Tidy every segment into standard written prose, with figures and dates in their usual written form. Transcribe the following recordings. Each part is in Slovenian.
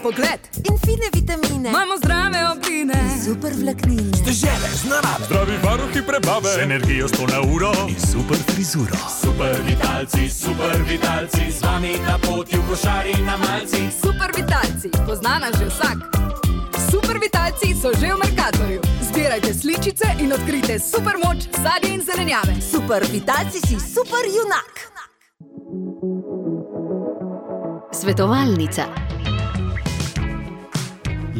pogled in fine vitamine. Imamo zdrave obline, super vlaknine, Dežele z narave, zdravi varuhi prebave, z energijo 100 na uro in super frizuro. Super vitalci, z vami na poti v košari na malci. Super vitalci, poznana že vsak. Super vitalci so že v Mercatorju. Zbirajte sličice in odkrijte super moč sadja in zelenjave. Super vitalci si super junak. Svetovalnica.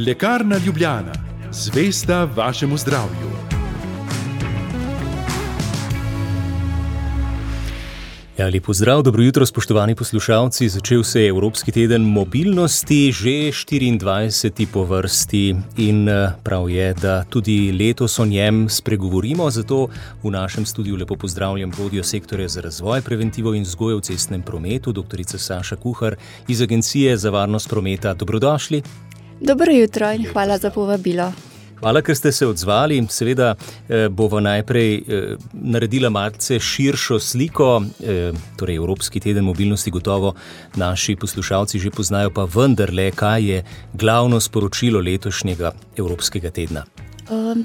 Lekarna Ljubljana, zvesta vašemu zdravju. Ja, lep pozdrav, dobro jutro, spoštovani poslušalci. Začel se je Evropski teden mobilnosti, že 24. po vrsti in prav je, da tudi letos o njem spregovorimo. Zato v našem studiu lepo pozdravljam vodjo sektorja za razvoj, preventivo in vzgojo v cestnem prometu, doktorica Saša Kuhar iz Agencije za varnost prometa. Dobrodošli. Dobro jutro in hvala za povabilo. Hvala, ker ste se odzvali. Seveda bova najprej naredila malce širšo sliko, torej Evropski teden mobilnosti gotovo naši poslušalci že poznajo, pa vendarle, kaj je glavno sporočilo letošnjega Evropskega tedna?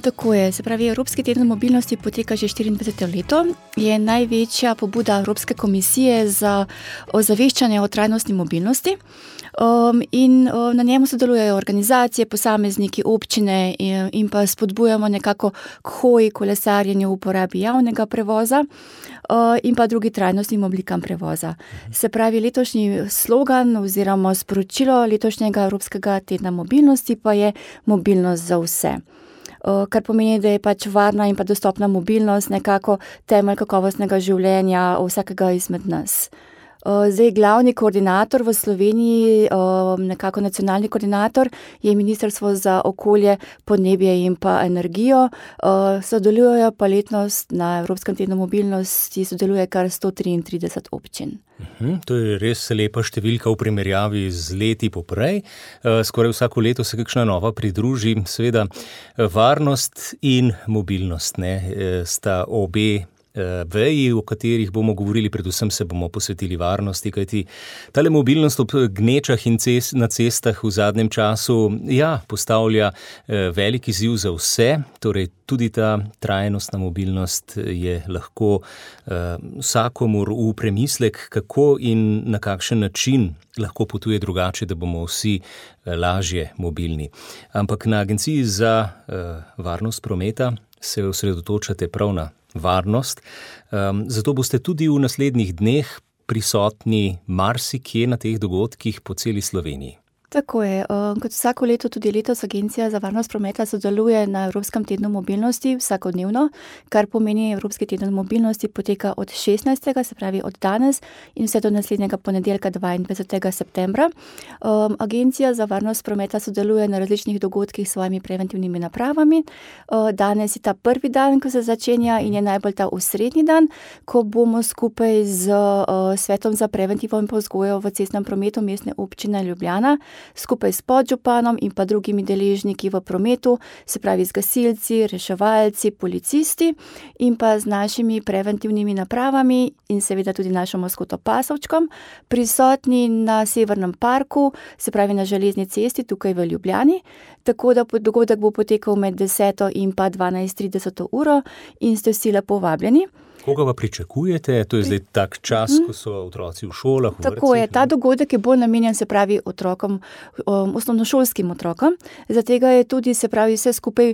Tako je, se pravi, Evropski teden mobilnosti poteka že 24. leto, je največja pobuda Evropske komisije za ozaveščanje o trajnostni mobilnosti. In na njemu sodelujejo organizacije, posamezniki, občine in pa spodbujamo nekako k hoji, kolesarjenju, uporabi javnega prevoza in pa drugi trajnostnim oblikam prevoza. Se pravi, letošnji slogan oziroma sporočilo letošnjega Evropskega tedna mobilnosti pa je mobilnost za vse. Kar pomeni, da je pač varna in pa dostopna mobilnost nekako temelj kakovostnega življenja vsakega izmed nas. Zdaj, glavni koordinator v Sloveniji, nekako nacionalni koordinator, je Ministrstvo za okolje, podnebje in pa energijo. Sodelujejo pa letnost na Evropskem tednu mobilnosti, sodeluje kar 133 občin. To je res lepa številka v primerjavi z leti poprej. Skoraj vsako leto se kakšna nova pridruži. Seveda, varnost in mobilnost sta obe veji, o katerih bomo govorili, predvsem se bomo posvetili varnosti, kajti tale mobilnost ob gnečah in na cestah v zadnjem času, postavlja velik izziv za vse, torej tudi ta trajnostna mobilnost je lahko vsakomur v premislek, kako in na kakšen način lahko potuje drugače, da bomo vsi lažje mobilni. Ampak na Agenciji za varnost prometa se osredotočate prav na varnost. Zato boste tudi v naslednjih dneh prisotni marsikje na teh dogodkih po celi Sloveniji. Tako je. Kot vsako leto tudi letos Agencija za varnost prometa sodeluje na Evropskem tednu mobilnosti vsakodnevno, kar pomeni Evropski teden mobilnosti poteka od 16. se pravi od danes in vse do naslednjega ponedeljka 22. septembra. Agencija za varnost prometa sodeluje na različnih dogodkih s svojimi preventivnimi napravami. Danes je ta prvi dan, ko se začenja in je najbolj ta osrednji dan, ko bomo skupaj z Svetom za preventivo in vzgojo v cestnem prometu Mestne občine Ljubljana skupaj s podžupanom in pa drugimi deležniki v prometu, se pravi z gasilci, reševalci, policisti in pa z našimi preventivnimi napravami in seveda tudi našo maskoto Pasovčkom, prisotni na Severnem parku, se pravi na Železni cesti tukaj v Ljubljani, tako da dogodek bo potekal med 10. in pa 12:30 uro in ste vsi lepo vabljeni. Koga pa pričakujete? To je zdaj tak čas, ko so otroci v šolah, v Tako je, ta dogodek je bolj namenjen, se pravi, otrokom, osnovnošolskim otrokom. Zatega je tudi, se pravi, vse skupaj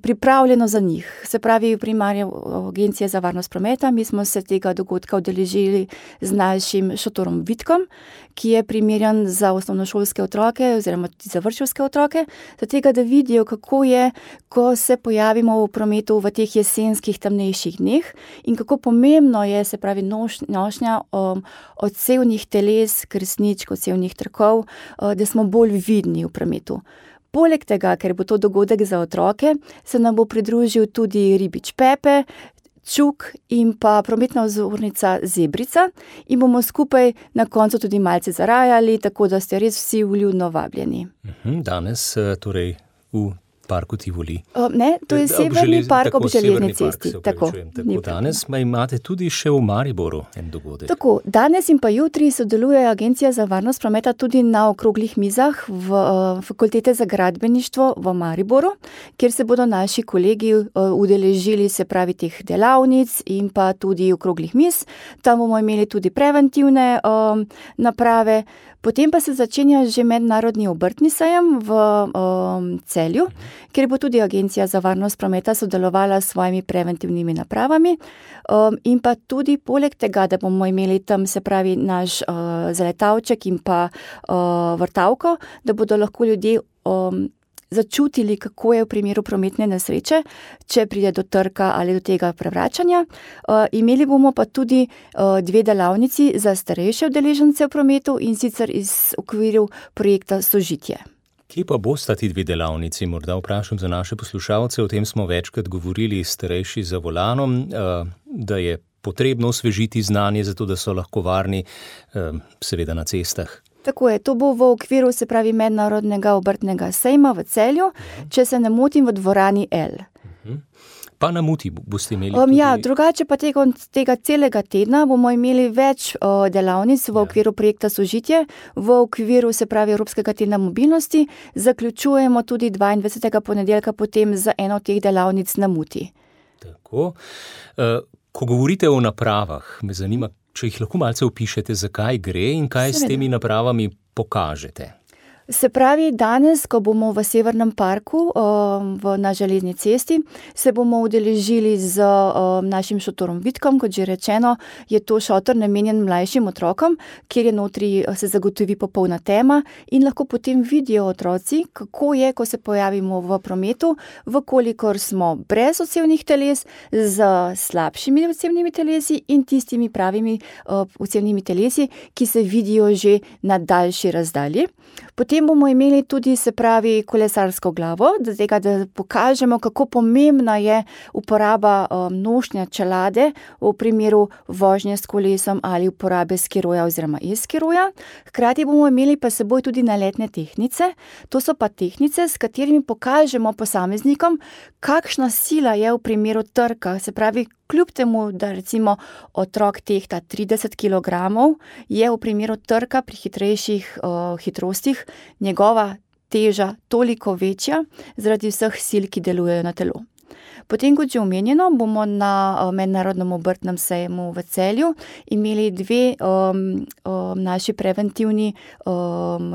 pripravljeno za njih. Se pravi, primarja Agencija za varnost prometa, mi smo se tega dogodka udeležili z našim šotorom Vitkom, ki je primerjan za osnovnošolske otroke oziroma za vrtčevske otroke, zatega, da vidijo, kako je, ko se pojavimo v prometu v teh jesenskih temnejših dneh in kako pomembno je, se pravi, nošnja odsevnih teles, kresničk, odsevnih trakov, da smo bolj vidni v prometu. Poleg tega, ker bo to dogodek za otroke, se nam bo pridružil tudi ribič Pepe, Čuk in pa prometna vzornica Zebrica in bomo skupaj na koncu tudi malce zarajali, tako da ste res vsi vljudno vabljeni. Danes, torej v parku Tivoli? Ne, to je Severni park ob Železni cesti. Tako danes imate tudi še v Mariboru en dogodek. Tako, danes in pa jutri sodeluje Agencija za varnost prometa tudi na okroglih mizah v Fakultete za gradbeništvo v Mariboru, kjer se bodo naši kolegi udeležili, se pravi, teh delavnic in pa tudi okroglih miz. Tam bomo imeli tudi preventivne naprave. Potem pa se začenja že mednarodni obrtni sejem v Celju, kjer bo tudi Agencija za varnost prometa sodelovala s svojimi preventivnimi napravami. In pa tudi poleg tega, da bomo imeli tam, se pravi, naš zaletavček in pa vrtavko, da bodo lahko ljudje začutili, kako je v primeru prometne nesreče, če pride do trka ali do tega prevračanja. Imeli bomo pa tudi 2 delavnici za starejše udeležence v prometu in sicer iz okviru projekta Sožitje. Kje pa bosta ti 2 delavnici? Morda vprašam za naše poslušalce, o tem smo večkrat govorili, starejši za volanom, da je potrebno osvežiti znanje, zato da so lahko varni, seveda na cestah. Tako je, to bo v okviru, se pravi, mednarodnega obrtnega sejma v Celju, če se ne motim, v dvorani L. Pa na Muti boste imeli tudi... Ja, drugače pa tega celega tedna bomo imeli več delavnic v okviru projekta Sožitje, v okviru, se pravi, Evropskega tedna mobilnosti. Zaključujemo tudi 22. ponedeljka potem za eno od teh delavnic na Muti. Tako. Ko govorite o napravah, me zanima, če jih lahko malce opišete, zakaj gre in kaj s temi napravami pokažete. Se pravi, danes, ko bomo v Severnem parku na Železni cesti, se bomo udeležili z našim šotorom Vitkom, kot že rečeno, je to šotor namenjen mlajšim otrokom, kjer je notri se zagotovi popolna tema in lahko potem vidijo otroci, kako je, ko se pojavimo v prometu, vkolikor smo brez odsevnih teles, z slabšimi odsevnimi telesi in tistimi pravimi odsevnimi telesi, ki se vidijo že na daljši razdalji. Potem bomo imeli tudi, se pravi, kolesarsko glavo, da pokažemo, kako pomembna je uporaba nošnja čelade v primeru vožnje s kolesom ali uporabe skiroja oziroma e-skiroja. Hkrati bomo imeli pa seboj tudi naletne tehtnice. To so pa tehtnice, s katerimi pokažemo posameznikom, kakšna sila je v primeru trka, se pravi, kljub temu, da recimo otrok tehta 30 kg, je v primeru trka pri hitrejših hitrostih njegova teža toliko večja zaradi vseh sil, ki delujejo na telo. Potem, kot že omenjeno, bomo na mednarodnem obrtnem sejmu v Celju imeli 2 naši preventivni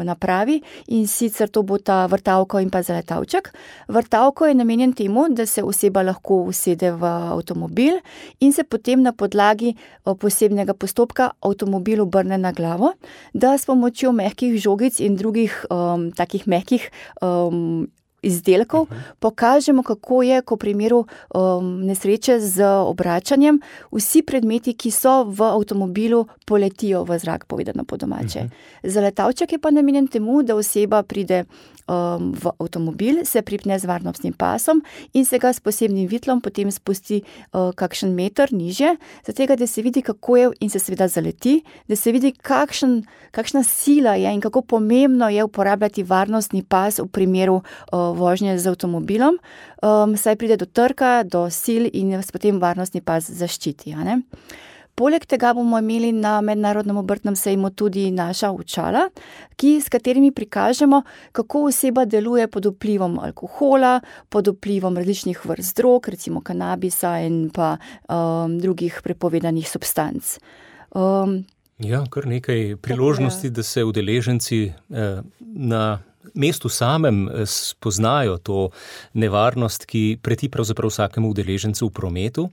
napravi in sicer to bo ta vrtavko in pa zaletavček. Vrtavko je namenjen temu, da se oseba lahko usede v avtomobil in se potem na podlagi posebnega postopka avtomobil obrne na glavo, da s pomočjo mehkih žogic in drugih takih mehkih izdelkov pokažemo, kako je, ko v primeru nesreče z obračanjem, vsi predmeti, ki so v avtomobilu, poletijo v zrak, povedano po domače. Zaletavček je pa namenjen temu, da oseba pride v avtomobil, se pripne z varnostnim pasom in se ga s posebnim vitlom potem spusti kakšen meter nižje, zato da se vidi, kako je in se seveda zaleti, da se vidi, kakšna sila je in kako pomembno je uporabljati varnostni pas v primeru vožnje z avtomobilom, saj pride do trka, do sil in vas potem varnostni pas zaščiti. Poleg tega bomo imeli na mednarodnem obrtnem sejmu tudi naša očala, s katerimi prikažemo, kako oseba deluje pod vplivom alkohola, pod vplivom različnih vrst drog, recimo kanabisa in pa drugih prepovedanih substanc. Ja, kar nekaj priložnosti, da se udeleženci na mestu samem spoznajo to nevarnost, ki preti pravzaprav vsakemu udeležencu v prometu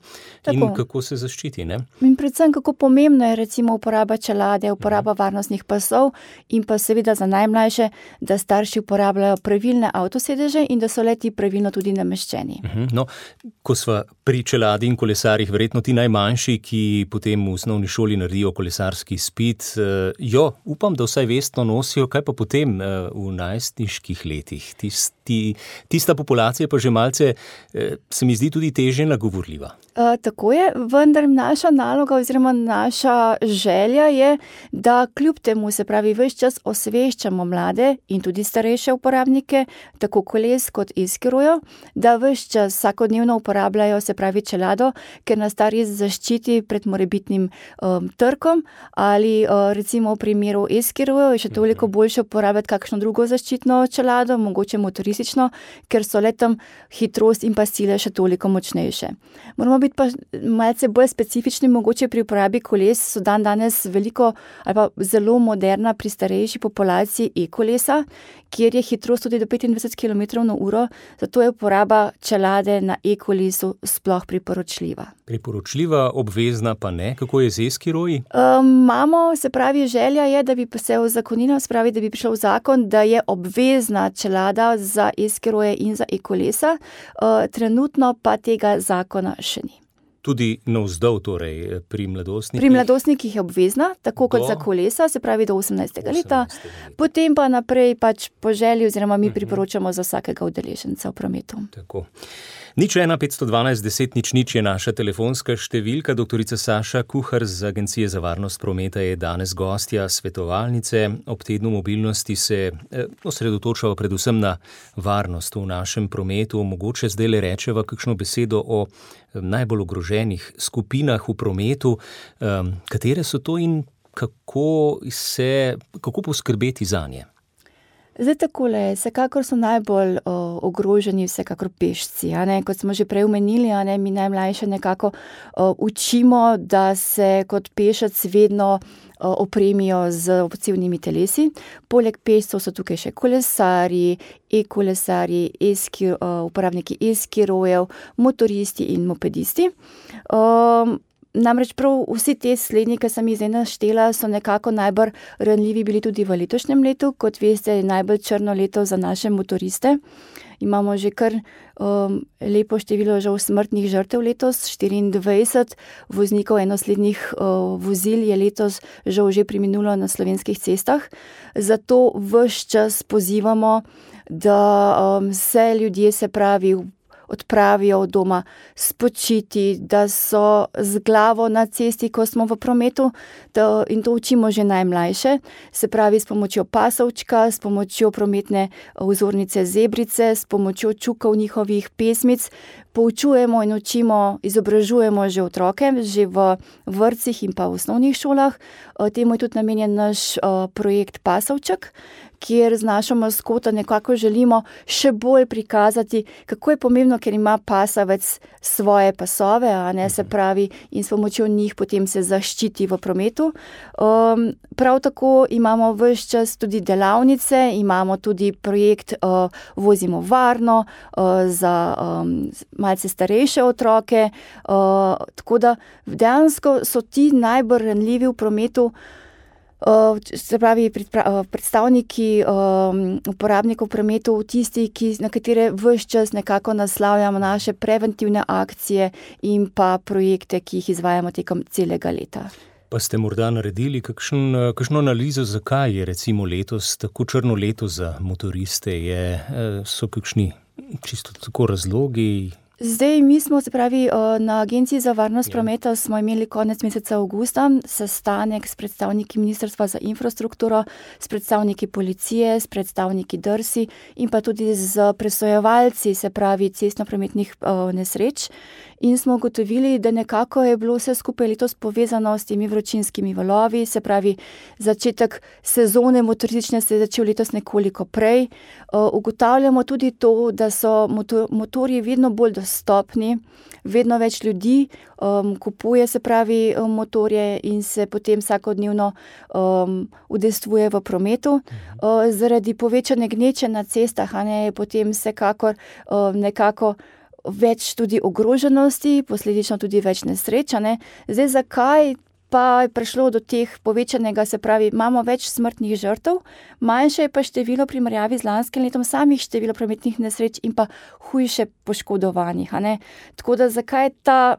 in kako se zaščiti, ne? In predvsem, kako pomembna je recimo uporaba čelade, uporaba varnostnih pasov in pa seveda za najmlajše, da starši uporabljajo pravilne avtosedeže in da so le-ti pravilno tudi nameščeni. No, ko sva pri čeladi in kolesarjih, verjetno ti najmanjši, ki potem v osnovni šoli naredijo kolesarski izpit, upam, da vsaj vestno nosijo, kaj pa potem v najstniških letih. Tista populacija pa že malce, se mi zdi, tudi težje nagovorljiva. Tako je, vendar naša naloga oziroma naša želja je, da kljub temu, se pravi, ves čas osveščamo mlade in tudi starejše uporabnike, tako koles kot e-skirojev, da ves čas vsakodnevno uporabljajo, se pravi, čelado, ker nas ta res zaščiti pred morebitnim trkom ali recimo v primeru e-skirojev je še toliko boljše uporabljati kakšno drugo zaščitno čelado, mogoče motoristično, ker so le tam hitrost in pa sile še toliko močnejše. Moramo biti pa malce bolj specifični, mogoče pri uporabi koles so danes veliko ali pa zelo moderna pri starejši populaciji e-kolesa, kjer je hitrost tudi do 25 km/h, zato je uporaba čelade na e-kolesu sploh priporočljiva. Priporočljiva, obvezna pa ne? Kako je z e-skiroji? Imamo, se pravi, želja je, da bi se uzakonila, se pravi, da bi prišel zakon, da je obvezna čelada za e-skiroje in za e-kolesa, trenutno pa tega zakona še ni. Tudi navzdol, torej pri mladostnikih? Pri mladostnikih je obvezna, tako kot za kolesa, se pravi do 18. leta. Potem pa naprej pač po želji oziroma mi priporočamo za vsakega udeleženca v prometu. Tako. 01 512 10 00 je naša telefonska številka. Doktorica Saša Kuhar z Agencije za varnost prometa je danes gostja svetovalnice. Ob tednu mobilnosti se osredotočava predvsem na varnost v našem prometu. Mogoče zdaj le rečeva kakšno besedo o najbolj ogroženih skupinah v prometu. Katere so to in kako poskrbeti zanje? Zdaj takole, vsekakor so najbolj ogroženi vsekakor pešci. Kot smo že prej omenili, mi najmlajše nekako učimo, da se kot pešec vedno opremijo z opcivnimi telesi. Poleg pešcev so tukaj še kolesarji, e-kolesarji, uporabniki e-skirojev, motoristi in mopedisti. Namreč prav vsi te slednji, ki sem jih zdaj naštela, so nekako najbolj ranljivi bili tudi v letošnjem letu. Kot veste, je najbolj črno leto za naše motoriste. Imamo že kar lepo število žal smrtnih žrtev letos, 24 voznikov enoslednih vozil je letos žal že preminulo na slovenskih cestah. Zato ves čas pozivamo, da se ljudje, se pravi, odpravijo od doma spočiti, da so z glavo na cesti, ko smo v prometu, in to učimo že najmlajše, se pravi s pomočjo pasovčka, s pomočjo prometne vzornice zebrice, s pomočjo čukov njihovih pesmic, poučujemo in učimo, izobražujemo že otroke, že v vrtcih in pa v osnovnih šolah. Temu je tudi namenjen naš projekt Pasovček, kjer z našo maskoto nekako želimo še bolj prikazati, kako je pomembno, ker ima pasavec svoje pasove, se pravi, in s pomočjo njih potem se zaščiti v prometu. Prav tako imamo ves čas tudi delavnice, imamo tudi projekt Vozimo varno za malce starejše otroke, tako da dejansko so ti najbolj ranljivi v prometu, se pravi predstavniki uporabnikov v prometu, tisti, na katere ves čas nekako naslavljamo naše preventivne akcije in pa projekte, ki jih izvajamo tekom celega leta. Pa ste morda naredili kakšno analizo, zakaj je recimo letos tako črno leto za motoriste? So kakšni čisto tako razlogi? Zdaj, mi smo, se pravi, na Agenciji za varnost prometa smo imeli konec meseca avgusta sestanek s predstavniki Ministrstva za infrastrukturo, s predstavniki policije, s predstavniki DRSI in pa tudi z presojevalci, se pravi, cestno-prometnih nesreč. In smo ugotovili, da nekako je bilo vse skupaj letos povezano s temi vročinskimi valovi, se pravi, začetek sezone motoristične se je začel letos nekoliko prej. Ugotavljamo tudi to, da so motorji vedno bolj dostopni, vedno več ljudi kupuje, se pravi, motorje in se potem vsakodnevno udejstvuje v prometu. Zaradi povečane gneče na cestah, je potem vsekakor nekako več tudi ogroženosti, posledično tudi več nesreč. Zdaj, zakaj pa je prišlo do teh povečanega, se pravi, imamo več smrtnih žrtev, manjše je pa število primerjavi z lanskim letom samih število prometnih nesreč in pa hujše poškodovanih. Tako da zakaj ta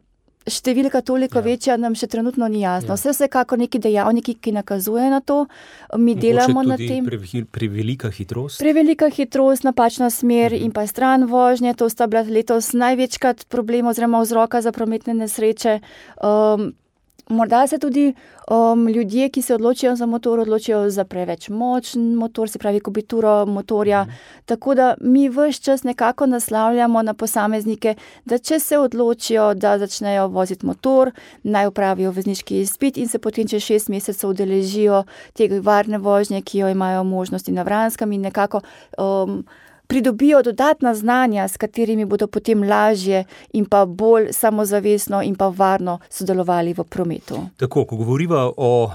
številka toliko večja, nam še trenutno ni jasno. Vsekakor neki dejavniki, ki nakazuje na to, mi delamo na tem. Prevelika hitrost? Prevelika hitrost, napačna smer in pa stran vožnje, to sta bila letos največkrat problem oziroma vzroka za prometne nesreče. Morda se tudi ljudje, ki se odločijo za motor, odločijo za preveč močen motor, se pravi kubituro motorja. Tako da mi ves čas nekako naslavljamo na posameznike, da če se odločijo, da začnejo voziti motor, naj opravijo vozniški izpit in se potem čez 6 mesecev udeležijo tega varne vožnje, ki jo imajo možnosti na Vranskem in nekako pridobijo dodatna znanja, s katerimi bodo potem lažje in pa bolj samozavestno in pa varno sodelovali v prometu. Tako, ko govoriva o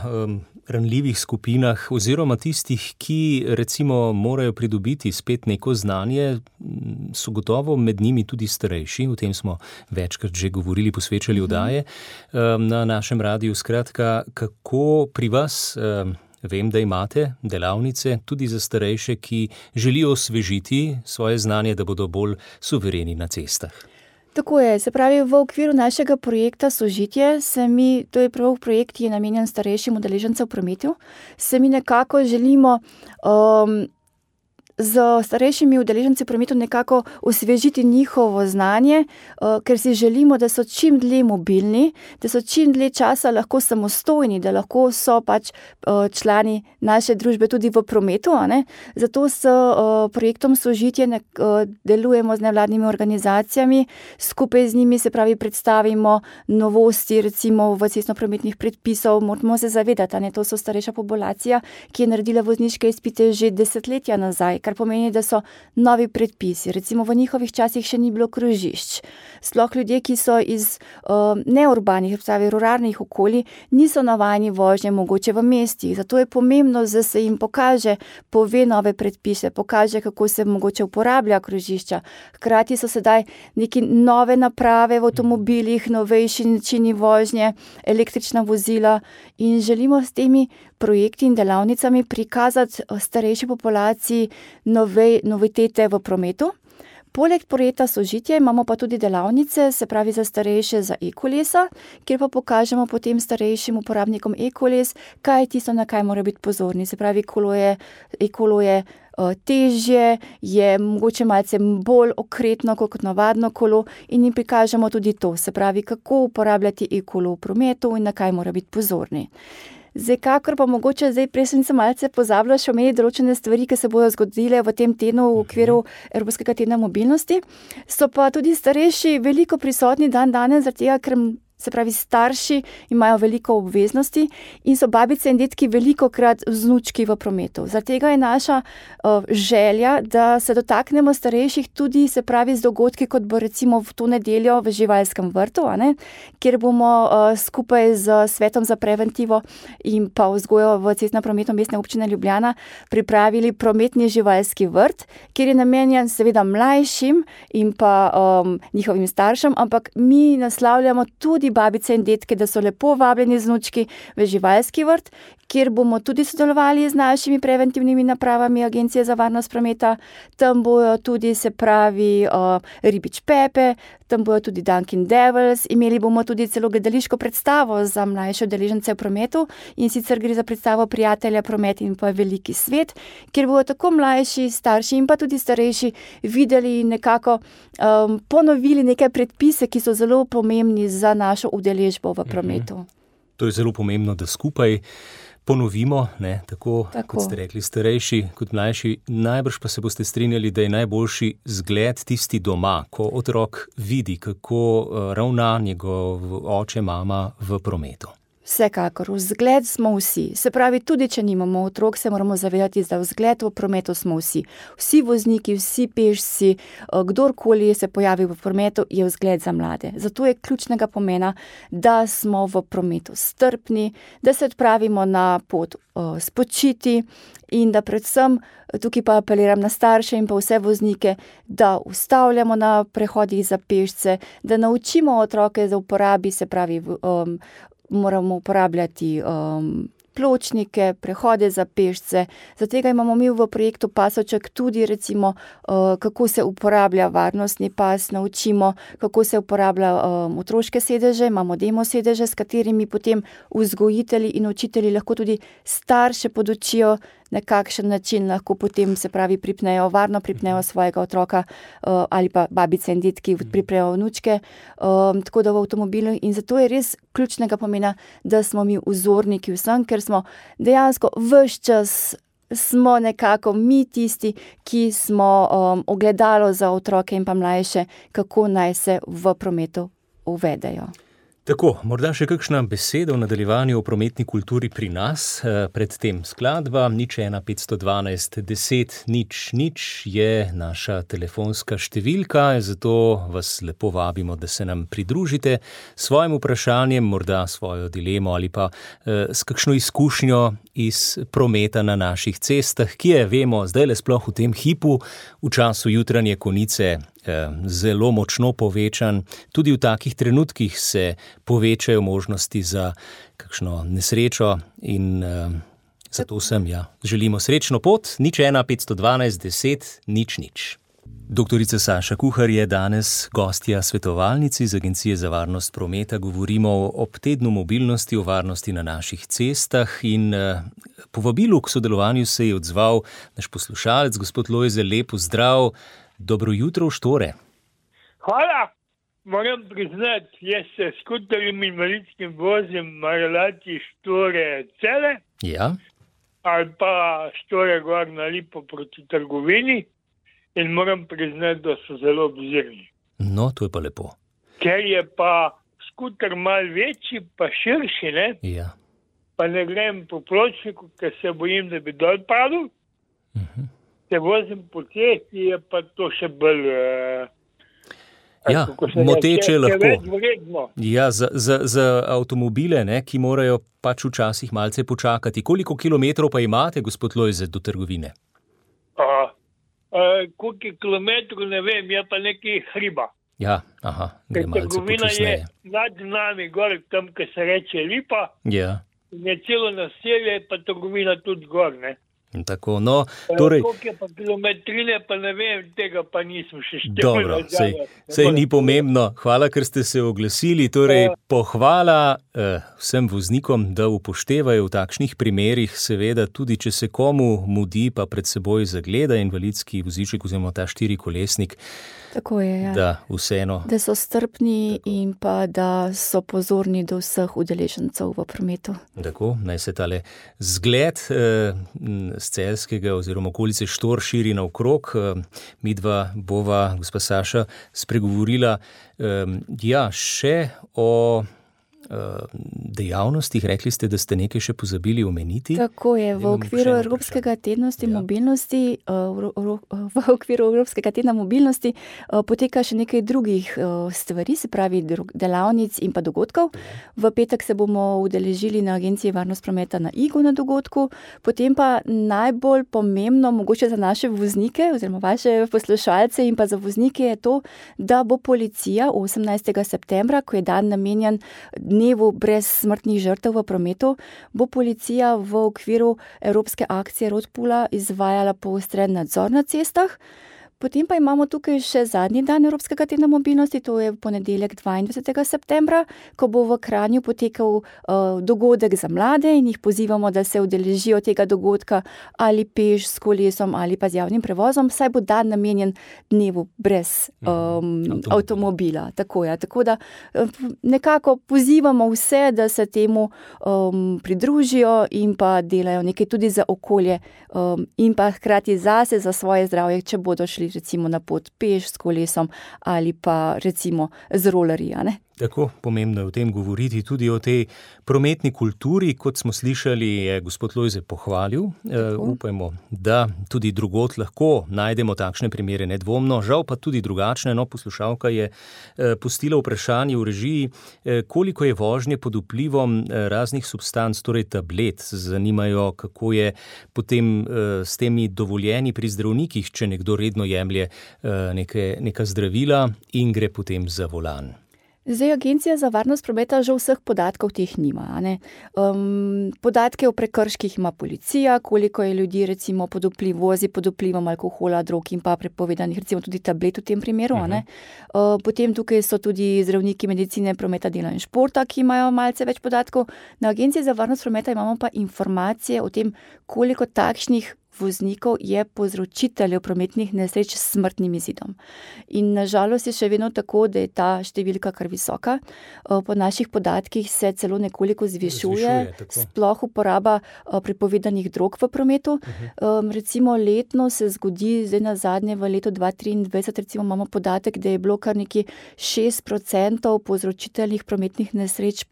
ranljivih skupinah oziroma tistih, ki recimo morajo pridobiti spet neko znanje, so gotovo med njimi tudi starejši, o tem smo večkrat že govorili, posvečali oddaje na našem radiju. Skratka, kako pri vas... Vem, da imate delavnice tudi za starejše, ki želijo osvežiti svoje znanje, da bodo bolj suvereni na cestah. Tako je, se pravi, v okviru našega projekta Sožitje to je prav projekt, ki je namenjen starejšim udeležencem v prometu, se mi nekako želimo z starejšimi udeleženci v prometu nekako osvežiti njihovo znanje, ker si želimo, da so čim dlje mobilni, da so čim dlje časa lahko samostojni, da lahko so pač člani naše družbe tudi v prometu. Zato s projektom Sožitje delujemo z nevladnimi organizacijami, skupaj z njimi, se pravi, predstavimo novosti, recimo v cestnoprometnih predpisov. Moramo se zavedati, to so starejša populacija, ki je naredila vozniške izpite že desetletja nazaj, kar pomeni, da so novi predpisi. Recimo v njihovih časih še ni bilo krožišč. Sploh ljudje, ki so iz neurbanih, ruralnih okolij, niso navajeni vožnje mogoče v mestih. Zato je pomembno, da se jim pokaže, pove nove predpise, pokaže, kako se mogoče uporablja krožišča. Hkrati so sedaj neke nove naprave v avtomobilih, novejši načini vožnje, električna vozila in želimo s temi projekti in delavnicami prikazati starejši populaciji novitete v prometu. Poleg projekta Sožitje imamo pa tudi delavnice, se pravi za starejše za e-kolesa, kjer pa pokažemo potem starejšim uporabnikom e-koles, kaj je tisto, na kaj morajo biti pozorni. Se pravi, e-kolo je težje, je mogoče malce bolj okretno kot navadno kolo in jim prikažemo tudi to, se pravi, kako uporabljati e-kolo v prometu in na kaj morajo biti pozorni. Zdaj, kakor pa mogoče, prej sem malce pozabila še omeniti določene stvari, ki se bodo zgodile v tem tednu v okviru Evropskega tedna mobilnosti, so pa tudi starejši veliko prisotni danes, zaradi tega, ker se pravi, starši imajo veliko obveznosti in so babice in detki velikokrat vznučki v prometu. Zaradi tega je naša želja, da se dotaknemo starejših tudi, se pravi, z dogodki, kot bo recimo v to nedeljo v živalskem vrtu, kjer bomo skupaj z Svetom za preventivo in pa vzgojo v cestnem prometu Mestne občine Ljubljana pripravili prometni živalski vrt, kjer je namenjen seveda mlajšim in pa njihovim staršem, ampak mi naslavljamo tudi babice in detke, da so lepo vabljeni vznučki v živalski vrt, kjer bomo tudi sodelovali z našimi preventivnimi napravami Agencije za varnost prometa. Tam bojo tudi, se pravi, Ribič Pepe, tam bojo tudi Dunkin Devils, imeli bomo tudi celo gledališko predstavo za mlajše udeležence v prometu in sicer gre za predstavo Prijatelja promet in pa Veliki svet, kjer bojo tako mlajši, starši in pa tudi starejši videli in nekako ponovili nekaj predpise, ki so zelo pomembni za našo udeležbo v prometu. To je zelo pomembno, da skupaj ponovimo, tako kot ste rekli, starejši kot mlajši. Najbrž pa se boste strinjali, da je najboljši zgled tisti doma, ko otrok vidi, kako ravna njegov oče, mama v prometu. Vsekakor, vzgled smo vsi. Se pravi, tudi če nimamo otrok, se moramo zavedati, da vzgled v prometu smo vsi. Vsi vozniki, vsi pešci, kdorkoli se pojavi v prometu, je vzgled za mlade. Zato je ključnega pomena, da smo v prometu strpni, da se odpravimo na pot spočiti in da predvsem, tukaj pa apeliram na starše in pa vse voznike, da ustavljamo na prehodih za pešce, da naučimo otroke za uporabi, se pravi, moramo uporabljati pločnike, prehode za pešce. Zato imamo mi v projektu Pasoček tudi recimo, kako se uporablja varnostni pas, naučimo, kako se uporablja otroške sedeže, imamo demo sedeže, s katerimi potem vzgojitelji in učitelji lahko tudi starše podučijo, na kakšen način lahko potem, se pravi, varno pripnejo svojega otroka ali pa babice in detki priprejo vnučke, tako da v avtomobilu. In zato je res ključnega pomena, da smo mi vzorniki vsem, ker smo dejansko ves čas smo nekako mi tisti, ki smo ogledalo za otroke in pa mlajše, kako naj se v prometu uvedejo. Tako, morda še kakšna beseda v nadaljevanju o prometni kulturi pri nas, predtem skladba 01512 10 00 je naša telefonska številka, zato vas lepo vabimo, da se nam pridružite s svojim vprašanjem, morda svojo dilemo ali pa s kakšno izkušnjo iz prometa na naših cestah, ki je, vemo, zdaj le sploh v tem hipu, v času jutranje konice, zelo močno povečan. Tudi v takih trenutkih se povečajo možnosti za kakšno nesrečo in zato vsem želimo srečno pot. 01512 10 00. Doktorica Saša Kuhar je danes gostja svetovalnici z Agencije za varnost prometa. Govorimo ob tednu mobilnosti, o varnosti na naših cestah in povabilu k sodelovanju se je odzval naš poslušalec, gospod Lojze. Lep pozdrav. Dobro jutro v Štore. Hvala. Moram priznati, jaz se skuterjem invalidskim vozim na relaciji Štore-Cele. Ja. Ali pa Štore-Gor na Lipo proti trgovini in moram priznati, da so zelo obzirni. No, to je pa lepo. Ker je pa skuter malo večji, pa širši, ne? Ja. Pa ne grem po pločniku, ker se bojim, da bi dol padel. Se vozim po cesti, je pa to še bolj... moteče lahko. Več vredno. Ja, za avtomobile, ne, ki morajo pač včasih malce počakati. Koliko kilometrov pa imate, gospod Lojze, do trgovine? Koliko kilometrov, ne vem, je pa nekaj hriba. Ja, gre malce trgovina počasneje. Je nad nami, gor, tam, ki se reče Lipa. Ja. In je celo naselje, pa trgovina tudi gor, ne. Tako, no, torej... Koliko je pa kilometrine, pa ne vem, tega pa nisem še štel. Dobro, sej ni pomembno. Hvala, ker ste se oglasili. Torej, pohvala vsem voznikom, da upoštevajo v takšnih primerih, seveda tudi, če se komu mudi, pa pred seboj zagleda invalidski voziček oziroma ta štirikolesnik. Tako je, ja. Da, vseeno. Da so strpni in pa da so pozorni do vseh udeležencev v prometu. Tako, naj se tale zgled z Celjskega oziroma okolice Štor širi naokrog. Midva bova, gospa Saša, spregovorila še o dejavnostih. Rekli ste, da ste nekaj še pozabili omeniti. Tako je, v okviru Evropskega tedna mobilnosti, v okviru Evropskega tedna mobilnosti poteka še nekaj drugih stvari, se pravi delavnic in pa dogodkov. V petek se bomo udeležili na Agenciji varnost prometa na Igu na dogodku, potem pa najbolj pomembno, mogoče za naše voznike oziroma vaše poslušalce in pa za voznike je to, da bo policija 18. septembra, ko je dan namenjen dnevu brez smrtnih žrtev v prometu, bo policija v okviru Evropske akcije Roadpoola izvajala poostren nadzor na cestah. Potem pa imamo tukaj še zadnji dan Evropskega tedna mobilnosti, to je v ponedeljek 22. septembra, ko bo v Kranju potekal dogodek za mlade in jih pozivamo, da se udeležijo tega dogodka ali peš s kolesom ali pa z javnim prevozom, saj bo dan namenjen dnevu brez avtomobila. Tako je. Tako da nekako pozivamo vse, da se temu pridružijo in pa delajo nekaj tudi za okolje in pa hkrati zase, za svoje zdravje, če bodo šli recimo na pot peš s kolesom ali pa recimo z rolerji, ne? Tako, pomembno je o tem govoriti, tudi o tej prometni kulturi, kot smo slišali, je gospod Lojze pohvalil. Upajmo, da tudi drugot lahko najdemo takšne primere nedvomno, žal pa tudi drugačne. No, poslušalka je pustila vprašanje v režiji, koliko je vožnje pod vplivom raznih substanc, torej tablet. Zanimajo, kako je potem s temi dovoljeni pri zdravnikih, če nekdo redno jemlje neka zdravila in gre potem za volan. Zdaj, Agencija za varnost prometa že vseh podatkov teh nima. Podatke o prekrških ima policija, koliko je ljudi recimo vozi pod vplivom alkohola, drog in pa prepovedanih, recimo tudi tablet v tem primeru. Potem tukaj so tudi zdravniki medicine, prometa, dela in športa, ki imajo malce več podatkov. Na Agenciji za varnost prometa imamo pa informacije o tem, koliko takšnih voznikov je povzročiteljev prometnih nesreč s smrtnim izidom. In nažalost je še vedno tako, da je ta številka kar visoka. Po naših podatkih se celo nekoliko zvišuje sploh uporaba prepovedanih drog v prometu. Recimo letno se zgodi, zdaj na zadnje v letu 2023, recimo imamo podatek, da je bilo kar nekje 6% povzročiteljev prometnih nesreč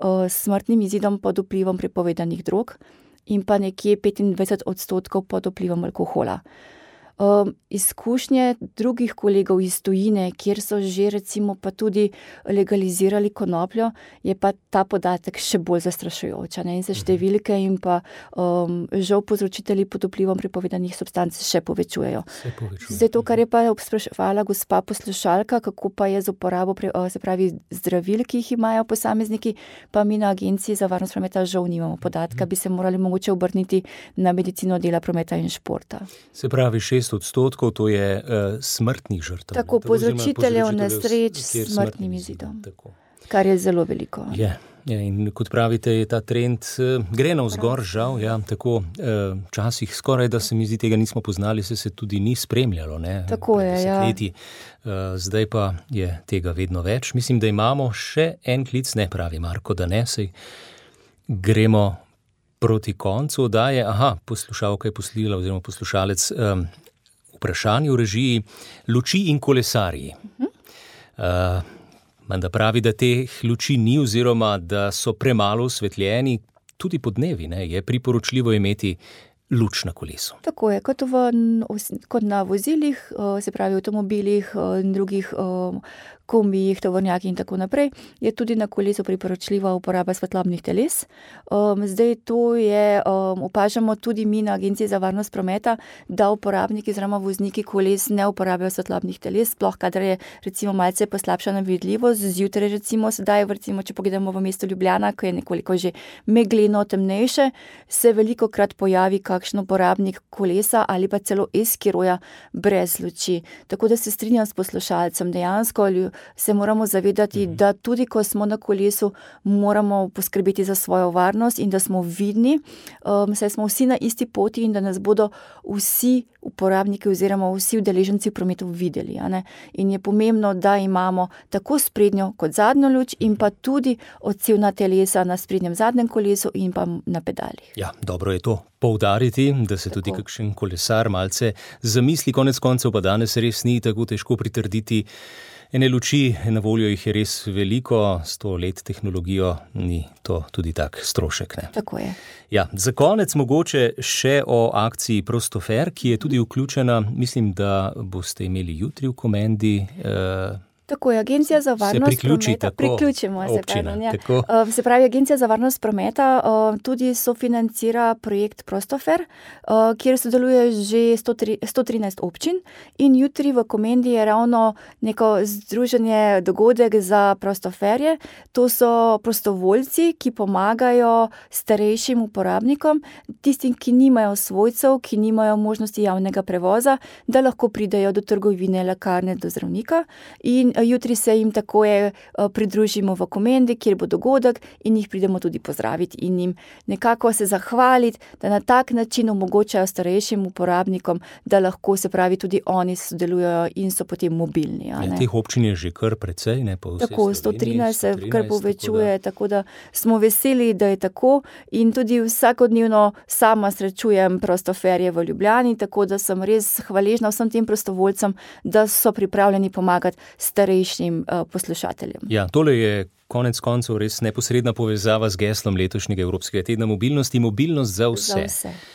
s smrtnim izidom pod vplivom prepovedanih drog in pa nekje 25% pod vplivom alkohola. Izkušnje drugih kolegov iz tujine, kjer so že recimo pa tudi legalizirali konopljo, je pa ta podatek še bolj zastrašujoč. In se številke in pa žal povzročitelji pod vplivom prepovedanih substanc še povečujejo. Zdaj to, kar je pa spraševala gospa poslušalka, kako pa je z uporabo se pravi zdravil, ki jih imajo posamezniki, pa mi na Agenciji za varnost prometa žal nimamo podatka, bi se morali mogoče obrniti na medicino dela prometa in športa. Se pravi 6%, to je smrtnih žrtev. Tako, povzročiteljev nesreč s smrtnim izidom, kar je zelo veliko. In kot pravite, je ta trend gre navzgor, žal, tako včasih skoraj, da se mi zdi, tega nismo poznali, se tudi ni spremljalo, Tako je, Zdaj pa je tega vedno več. Mislim, da imamo še en klic, ne pravi Marko, da ne, saj gremo proti koncu oddaje. Poslušalka je poslila, oziroma poslušalec, vprašanje v režiji luči in kolesarji. Menda pravi, da teh luči ni oziroma da so premalo osvetljeni, tudi podnevi, je priporočljivo imeti luč na kolesu. Tako je, kot na vozilih, se pravi avtomobilih in drugih kombijih, tovornjaki in tako naprej, je tudi na kolesu priporočljiva uporaba svetlobnih teles. Zdaj to je, opažamo tudi mi na Agenciji za varnost prometa, da uporabniki oziroma vozniki koles ne uporabljajo svetlobnih teles, sploh kadar je recimo malce poslabšana vidljivost, zjutraj recimo sedaj, recimo če pogledamo v mestu Ljubljana, ko je nekoliko že megleno temnejše, se velikokrat pojavi kakšen uporabnik kolesa ali pa celo eskiroja brez luči. Tako da se strinjam s poslušalcem, dejansko se moramo zavedati, da tudi ko smo na kolesu, moramo poskrbeti za svojo varnost in da smo vidni, saj smo vsi na isti poti in da nas bodo vsi uporabniki oziroma vsi udeleženci v prometu videli. In je pomembno, da imamo tako sprednjo kot zadnjo luč in pa tudi odsevna telesa na sprednjem zadnjem kolesu in pa na pedalih. Dobro je to poudariti, da se tudi kakšen kolesar malce zamisli, konec koncev pa danes res ni tako težko pritrditi ene luči, na voljo jih je res veliko, 100 let tehnologijo, ni to tudi tak strošek. Tako je. Za konec mogoče še o akciji Prostofer, ki je tudi vključena, mislim, da boste imeli jutri v Komendi. Tako je, Agencija za varnost prometa. Priključimo se. Se pravi, Agencija za varnost prometa tudi sofinancira projekt Prostofer, kjer sodeluje že 113 občin in jutri v Komendi je ravno neko združenje, dogodek za prostoferje. To so prostovoljci, ki pomagajo starejšim uporabnikom, tistim, ki nimajo svojcev, ki nimajo možnosti javnega prevoza, da lahko pridejo do trgovine, lekarne, do zdravnika in jutri se jim takoj pridružimo v Komendi, kjer bo dogodek in jih pridemo tudi pozdraviti in jim nekako se zahvaliti, da na tak način omogočajo starejšim uporabnikom, da lahko se pravi tudi oni sodelujejo in so potem mobilni. Teh občin je že kar precej, po vsej Sloveniji. 113 se kar povečuje, tako da smo veseli, da je tako in tudi vsakodnevno sama srečujem prostoferje v Ljubljani, tako da sem res hvaležna vsem tem prostovoljcem, da so pripravljeni pomagati starejšim poslušateljem. Tole je konec koncev res neposredna povezava z geslom letošnjega Evropskega tedna mobilnosti, mobilnost za vse.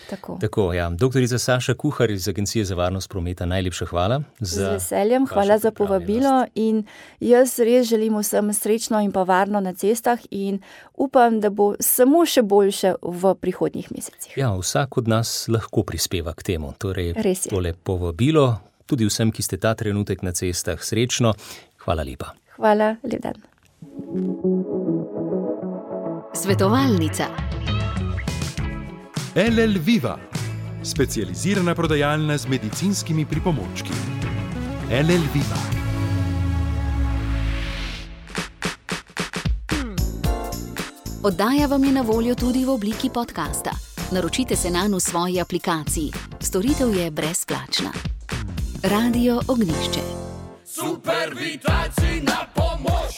Tako. Doktorica Saša Kuhar iz Agencije za varnost prometa, najlepša hvala. Z veseljem, hvala za povabilo in jaz res želim vsem srečno in pa varno na cestah in upam, da bo samo še boljše v prihodnjih mesecih. Vsak od nas lahko prispeva k temu. Torej, tole povabilo tudi vsem, ki ste ta trenutek na cestah, srečno. Hvala lepa. Hvala, lep dan. Svetovalnica. LL Viva, specializirana prodajalna z medicinskimi pripomočki. LL Viva. Oddaja vam je na voljo tudi v obliki podcasta. Naročite se nanj v svoji aplikaciji. Storitev je brezplačna. Radio Ognjišče. Super vitalci na pomoč.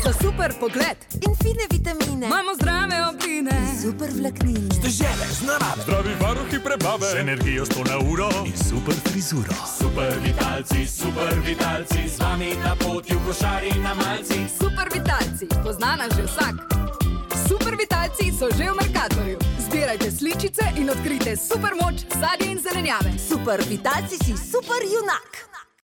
Za super pogled In fine vitamine. imamo zdrave obline. Super vlaknine. Žele z narave. Zdravi varuhi prebave. Z energijo 100 na uro. In super frizuro. Super vitalci, z vami na poti v košari na malci. Super vitalci, pozna nas že vsak. Super vitalci so že v Mercatorju. Zbirajte sličice in odkrijte super moč sadja in zelenjave. Super vitalci si super junak.